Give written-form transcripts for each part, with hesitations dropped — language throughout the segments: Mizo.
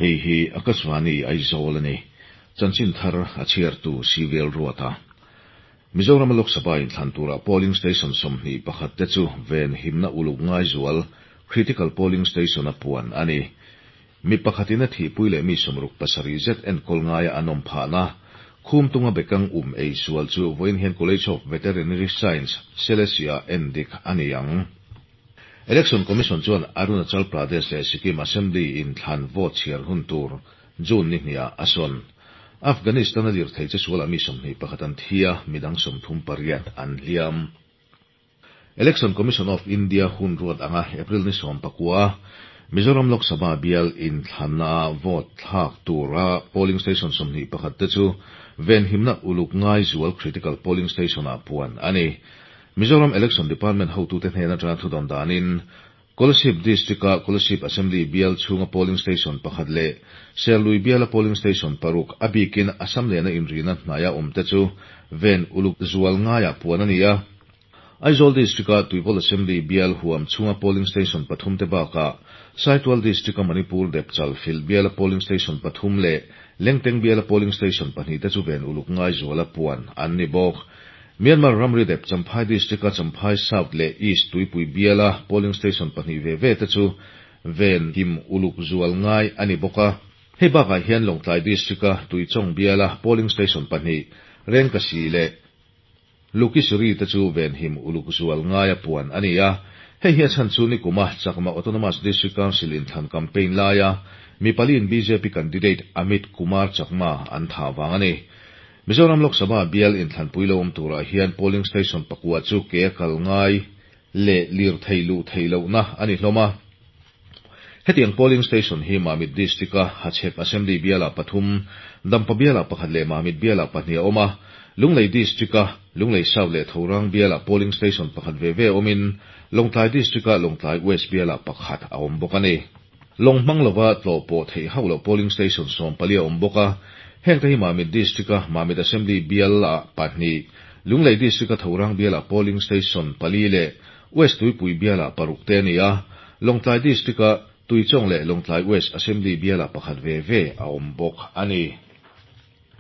Hei hi Akashvani Aizawl a ni. Chanchin thar a chhiartu Civil Ruata. Mizoram Lok Sabha inthlan tura polling station 21 te chu ven himna uluk ngai zual critical polling station a puan a ni. Mi pakhatin a thihpui leh mi 67 zet enkawl ngaia an awm phahna Khumtunga bekang um ei sual chu vawiin hian College of Veterinary Science, Selesih-ah endik a ni ang. Election Commission chuan Arunachal Pradesh leh Sikkim Assembly inthlan vote chhiar hun tur June ni hniah a sawn. Afghanistan-a lirthei che sualah mi 21 an thi a, midang 38 an hliam. Election Commission of India hun ruat anga April ni 19 Mizoram Lok Sabha bial inthlanna vote thlak tura polling station 21 te chu venhimna uluk ngai zual critical polling station ah puan a ni. Mizoram Election Department hotute hnen atanga thudawn danin Kolasib District-a Kolasib Assembly bial chhunga polling station pakhat leh Serlui biala polling station paruk a bikin Assam lehna inrina hnaia awm te chu ven uluk zual ngaiah puan a ni a. Aizawl District-a Tuivawl Assembly bial huam chhunga polling station pathum te bakah Saitual District-a Manipur Depchal Fil biala polling station pathum leh Lengteng biala polling station pahnih te chu ven uluk ngai zuala puan an ni bawk. Myanmar ramri dep Champhai District-a Champhai South leh East Tuipui biala polling station pahnih ve ve te chu ven him uluk zual ngai a ni bawk a. Hei bakah hian Lawngtlai District-a Tuichawng biala polling station pahnih Rengkasi leh Lukisuri te chu venhim uluk zual ngaia puan a ni a. Hei hi a chhan chu nikuma Chakma Autonomous District Council inthlan campaign laia mi paliin bjp candidate Amit Kumar Chakma an thah vang a ni. Mizoram Lok Sabha bial inthlanpui lo awm turah hian polling station pakua chu ke a kal ngai leh lirthei luh theih lohna a ni hlawm a. Hetiang polling station hi Mamit District-a Hachhek Assembly bialah pathum, Dampa bialah pakhat leh Mamit bialah pahnih a awm a. Lunglei District-a Lunglei South leh Thorang bialah polling station pakhat ve ve awmin Lawngtlai District-a Lawngtlai West bialah pakhat a awm bawk a ni. Lawng hmang lova tlawh pawh theih hauh loh polling station 14 a awm bawk a. Hengte hi Mamit District-a Mamit Assembly bialah pahnih, Lunglei District-a Thorang bialah polling station pali leh West Tuipui bialah paruk te a ni a, Lawngtlai District-a Tuichawng leh Lawngtlai West Assembly bialah pakhat ve ve a awm bawk a ni.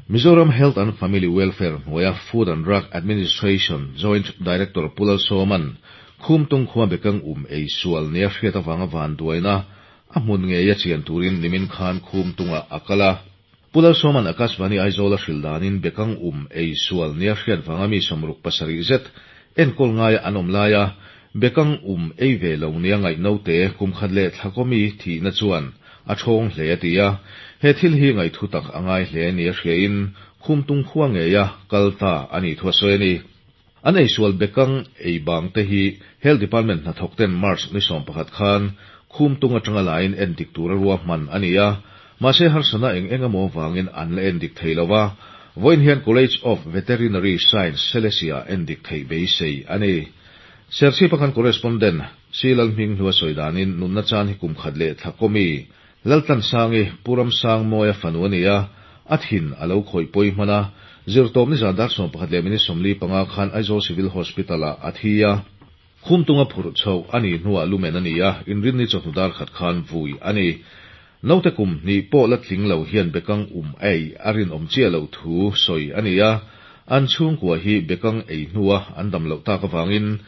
Mizoram Health and Family Welfare hnuaia Food and Drug Administration Joint Director Pu Lalsawma'n Khumtung khua bekang um ei sual nia hriat avanga vanduaina a hmun ngeia chian turin nimin khan Khumtungah a kal a. Pu Lalsawma'n Akashvani Aizawl a hrilh danin bekang um ei sual nia hriat vanga mi 67 zet enkawl ngaia an awm laia bekang um ei ve lo nia ngaih naute kum khat leh thla kawmi thihna chuan a thawng hle a ti a. He thil hi ngaihthu tak a ngai hle nia hriain Khumtung khua ngeia kal ta a nih thu a sawi a ni. An eisual bekang ei bang te hi Health Department hnathawk ten March ni 11 khan Khumtung atanga lain endik tura ruahman a ni a, mahse harsana eng eng emaw vangin an la endik thei lo a, vawiin hian College of Veterinary Science Selesih-ah endik theih beisei a ni. Serchhip a kan correspondent Si Lalhming hlua sawi danin nunna chan hi kum khat leh thla kawmi Laltlansangi Pu Ramsangmawia fanu a ni a, a thin a lo khawih pawi hman a, zirtawp nizan dar 11 minute 45 khan Aizawl Civil Hospital-ah a thi a. Khumtunga phurh chhoh a nih hnuah lumen a ni a, inrinni chawhnu dar khat khan vui a ni. Naute kum hnih pawh la tling lo hian bekang um ei a rinawm chiah loh thu sawi a ni a, an chhungkua hi bekang ei hnua an dam loh tak avangin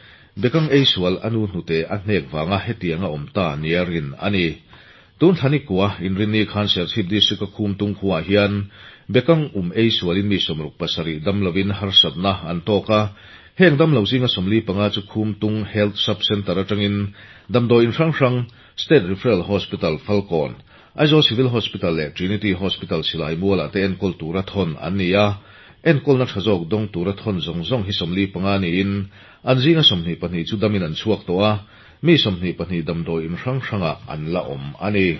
bekang ei sual a nu hnute a hnek vanga hetianga awm ta nia rin a ni. Tun thlani kua inrinni khan Serchhip District-a Khumtung khuaah hian bekang um ei sualin mi 67 dam lovin harsatna an tawk a, heng dam lo zinga 45 chu Khumtung Health Sub-Centre atangin damdawi in hrang hrang State Referral Hospital Falkawn, Aizawl Civil Hospital leh Trinity Hospital Silai Mualah te enkawl tura thawn an ni a, enkawlna tha zawk dawng tura thawn zawng zawng hi 45 niin an zinga 22 chu damin an chhuak tawh a, mi 22 damdawi in hrang hrangah an la awm a ni.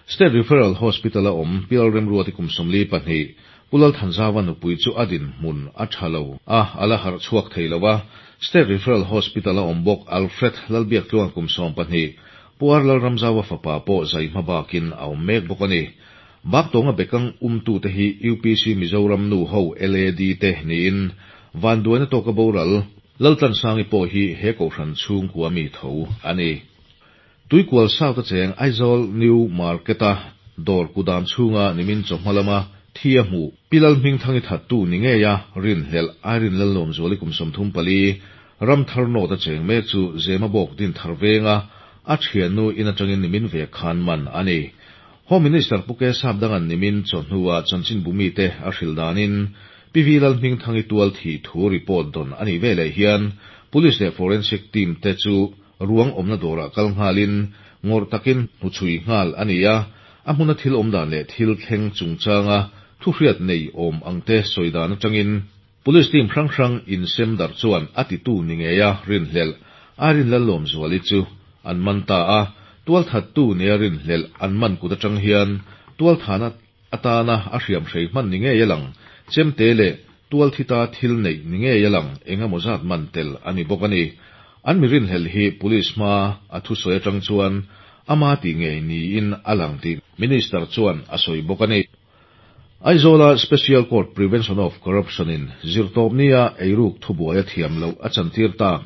State Referral Hospital a awm Pial Remruati kum 42, Pu Lalthanzawa nupui chu a dinhmun a tha lo a, a la harh chhuak thei lo a. State Referral Hospital a awm bawk Alfred Lalbiak tluang kum 12, Pu Ar Lalramzawa fapa pawh zai hma bakin a awm mek bawk a ni. Baktawnga bekang umtute hi UPC Mizoram nu ho LAD te niin vanduaina tawka boral Laltlansangi pawh hi he kohhran chhungkua mi tho a ni. Tuikual South a cheng Aizawl New Market-a. dawr kudam chhunga nimin chawhma lama thi a hmuh Pi Lalhmingthangi thattu ni ngeia rinhlelh Irene Lalawmzuali kum 34, Ramthar North a cheng mek chu Zemabawk Dinthar venga a thiannu in atangin nimin ve khan man a ni. Home Minister Pu K Sapdanga'n nimin chawhnua chanchinbu mite a hrilh danin Pi V Lalhmingthangi tual thih thu report dawn a nih veleh hian Police leh Forensic team te chu ruang awmna dawrah kal nghalin ngawrh takin hnuchhui nghal a ni a, a hmuna thil awmdan leh thil thleng chungchanga thuhriat nei awm angte sawi dan atangin Police team hrang hrang insem darh chuan a titu ni ngeia rinhlelh Irene Lalawmzuali chu an man ta a, tualthattu nia rinhlelh an man kut atang hian tualthana atana a hriamhrei hman ni ngei a lang, chemte leh tualthita thil neih ni ngei a lang eng emaw zat man tel a ni bawk a ni. An mi rinhlelh hi Police hma a thusawi atang chuan ama tih ngei niin a lang tih Minister chuan a sawi bawk a ni. Aizawla Special Court Prevention of Corruption in zirtawpnia eiruk thubuai a thiam loh a chantir tak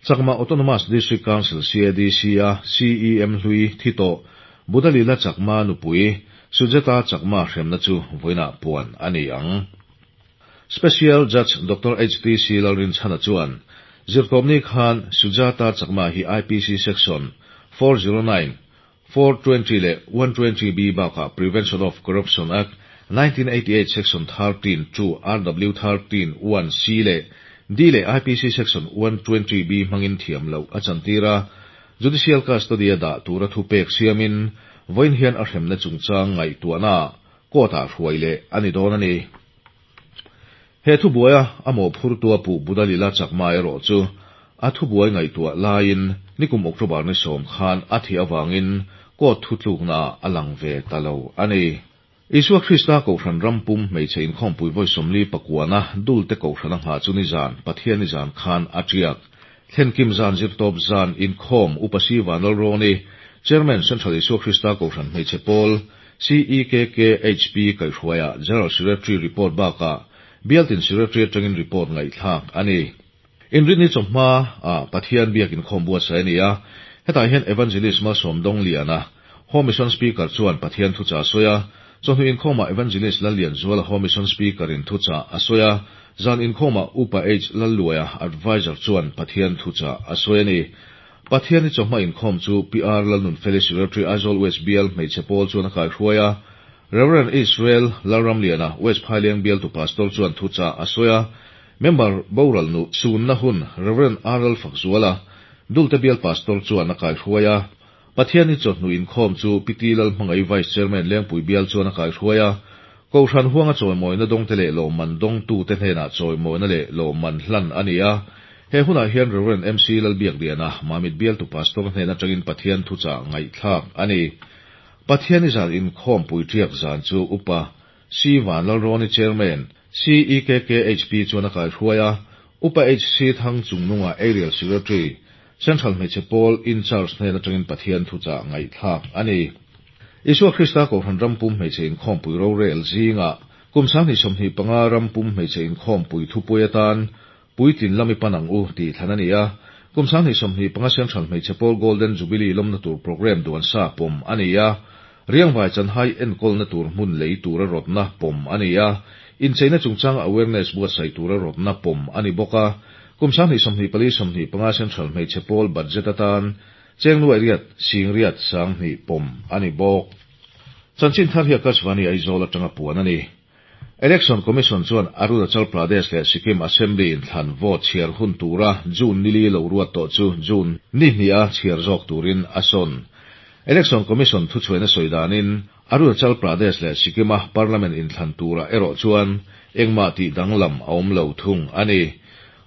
Chakma Autonomous District Council, CADC, a CEM hlui thi tawh Budalila Chakma nupui Sujata Chakma hremna chu vawiinah puan a ni ang. Special Judge Doctor HTC Lalrinchhana chuan zirtawpni khan Sujata Chakma hi IPC Section 409, 420 leh 120B bakah Prevention of Corruption Act, 1988 Section 13 to RW 13 1 C leh D leh IPC Section 120B hmangin thiam loh a chantir a, Judicial Custody a dah tura thupek siamin vawiin hian a hremna chungchang ngaihtuahnaah court-ah hruai leh a ni dawn a ni. He thubuaia a mawhphurtua puh Budalila Chakma erawh chu a thubuai ngaihtuah laiin nikum October ni sawm khan a thih avangin court thutluknaah a lang ve ta lo a ni. Isua Krista Kohhran ram pum hmeichhe inkhawmpui vawi 49na Dulte Kohhran a nghah chu nizan, Pathian nizan khan a tiak. Thlenkim zan zirtawp zan inkhawm Upa Si Vanlalrawni, Chairman Central Isua Krista Kohhran Hmeichhe Pawl, CEKKHP kaihhruaia General Secretary report bakah Bialtin Secretary atangin report ngaihthlak a ni. Inrinni chawhma ah Pathian biak inkhawm buatsaih a ni a, hetah hian Evangelist Malsawm Dawngliana, Home Mission Speaker chuan Pathian thuchah a sawi a, chawhnu inkhawmah Evangelist Lallianzuala Home Mission Speaker in thuchah a sawi a, zan inkhawmah Upa H Lalluaia Adviser chuan Pathian thuchah a sawi a ni. Pathianni chawhma inkhawm chu PR Lalnunfeli Secretary Aizawl West Bial hmeichhe pawl chuan a kaihruai a, Rev. Israel Lalramliana West Phaileng bialtu Pastor chuan thuchah a sawi a, Member boral nu sunna hun Rev. RL Fakzuala Dulte bial Pastor chuan a kaihruai a, Pathianni chawhnu inkhawm chu Pi T Lalhmangaih Vice Chairman Lengpui bial chuan a kaihruai a, Kohhran huanga chawimawina dawngte leh lawmman dawngtute hnenah chawimawina leh lawmman hlan a ni a. He hunah hian Rev. MC Lalbiakliana, Mamit bialtu Pastor hnen atangin Pathian thuchah ngaihthlak a ni. Pathianni zan inkhawm puiṭiak zan chu Upa C Vanlalrawni Chairman, CEKKHP chuan a kaihruai a, Upa HC Thang Chungnunga Aerial Secretary, Central Hmeichhe Pawl In Charge hnen atangin Pathian thuchah ngaihthlak a ni. Isua Krista Kohhran rampum hmeichhe inkhawmpui rorel zingah kum 2025 rampum hmeichhe inkhawmpui thupui atan Puitlin lam i pan ang u tih thlan a ni a, kum 2025 Central Hmeichhe Pawl Golden Jubilee lawmna tur programme duan sa pawm a ni a, Riangvai chanhai enkawlna tur hmun lei tura rawtna pawm a ni a, incheina chungchanga awareness buatsaih tura rawtna pawm a ni bawk a, kum 2024 25 Central Hmeichhe Pawl budget atan cheng nuai riat sing riat 2000 pawm a ni bawk. Chanchin thar hi Akashvani Aizawl atanga puan a ni. Election Commission chuan Arunachal Pradesh leh Sikkim Assembly inthlan vote chhiar hun tura June nili lo ruat tawh chu June ni hniha chhiar zawk turin a sawn. Election Commission thuchhuaina sawi danin Arunachal Pradesh leh Sikkim-a Parliament inthlan turah erawh chuan engmah tih danglam a awm lo thung a ni.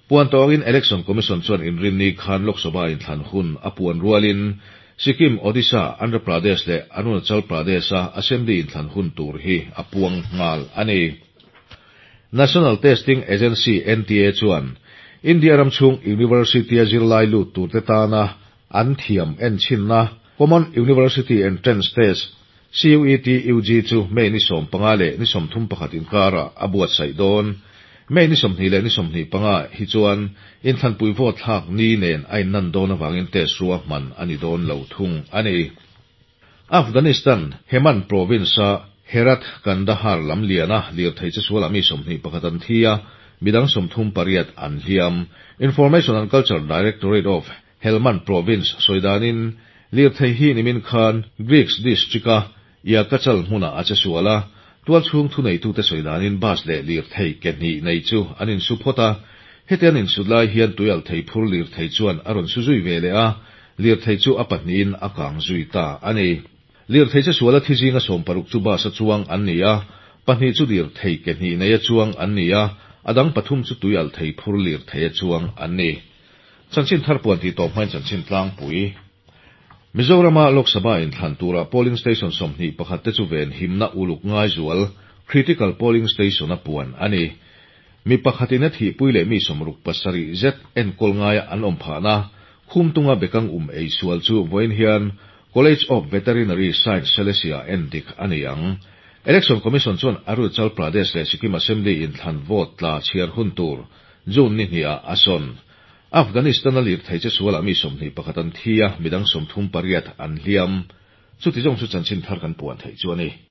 Puan tawngin Election Commission chuan inrinni khan Lok Sabha inthlan hun a puan rualin Sikkim, Odisha, Andhra Pradesh leh Arunachal Pradesh-a Assembly inthlan hun tur hi a puang nghal a ni. National Testing Agency, NTA, chuan India ram chhung University-a zirlai lut turte tana an thiam enchhinna Common University Entrance Test, CUET UG, chu May ni 15 leh ni 31 inkarah a buatsaih dawn. May ni 20 leh ni 25 hi chuan inthlanpui vote thlak ni nen a innan dawn avangin test ruahman a ni dawn lo thung a ni. Afghanistan, Hemand province-a Herat-Kandahar lamliana lirthei chesualah mi 21 an thi a, midang 38 an hliam. Information and Culture Directorate of Helmand province sawi danin, lirthei hi nimin khan Greeks district-a Yakachal hmunah a chesual a, tualchhung thuneitute sawi danin bus leh lirthei ke hnih nei chu an insu phawt a, heti an insut lai hian tuialhthei phur lirthei chuan a rawn su zui ve leh a, lirthei chu a pahnihin a kang zui ta a ni. Lirthei chesuala thi zinga 60 chu bus-a chuang an ni a, pahnih chu lirthei ke hnih neia chuang an ni a, a dang pathum chu tuialhthei phur lirtheia chuang an ni. Chanchin thar puan tih tawp hmain chanchin tlangpui. Mizorama Lok Sabha inthlan turah polling station 21 te chu venhimna uluk ngai zual, critical polling station, a puan a ni. Mi pakhatin a thihpui leh mi 67 zet enkawl ngaia an awm phahna, Khumtunga bekang um ei sual chu vawiin hian College of Veterinary Science Selesih ah endik a ni ang. Election Commission chuan Arunachal Pradesh leh Sikkim Assembly inthlan vote tla chhiar hun tur June ni hnih ah a sawn. Afghanistan-a lirthei che sualah mi 21 an thi a, midang 38 an hliam. Chuti zawng chu chanchin thar kan puan theih chu a ni.